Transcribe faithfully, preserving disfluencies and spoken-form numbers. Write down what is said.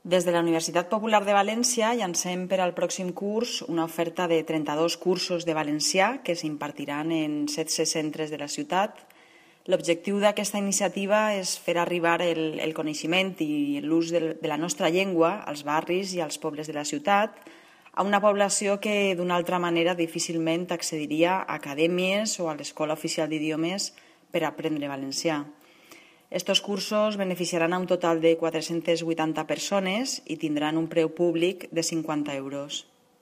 Des de la Universitat Popular de València llancem per al pròxim curs una oferta de trenta-dos cursos de valencià que s'impartiran en setze centres de la ciutat. L'objectiu d'aquesta iniciativa és fer arribar el, el coneixement i l'ús de, de la nostra llengua als barris i als pobles de la ciutat a una població que d'una altra manera difícilment accediria a acadèmies o a l'Escola Oficial d'Idiomes per aprendre valencià. Estos cursos beneficiaran a un total de quatre-centes vuitanta persones i tindran un preu públic de cinquanta euros.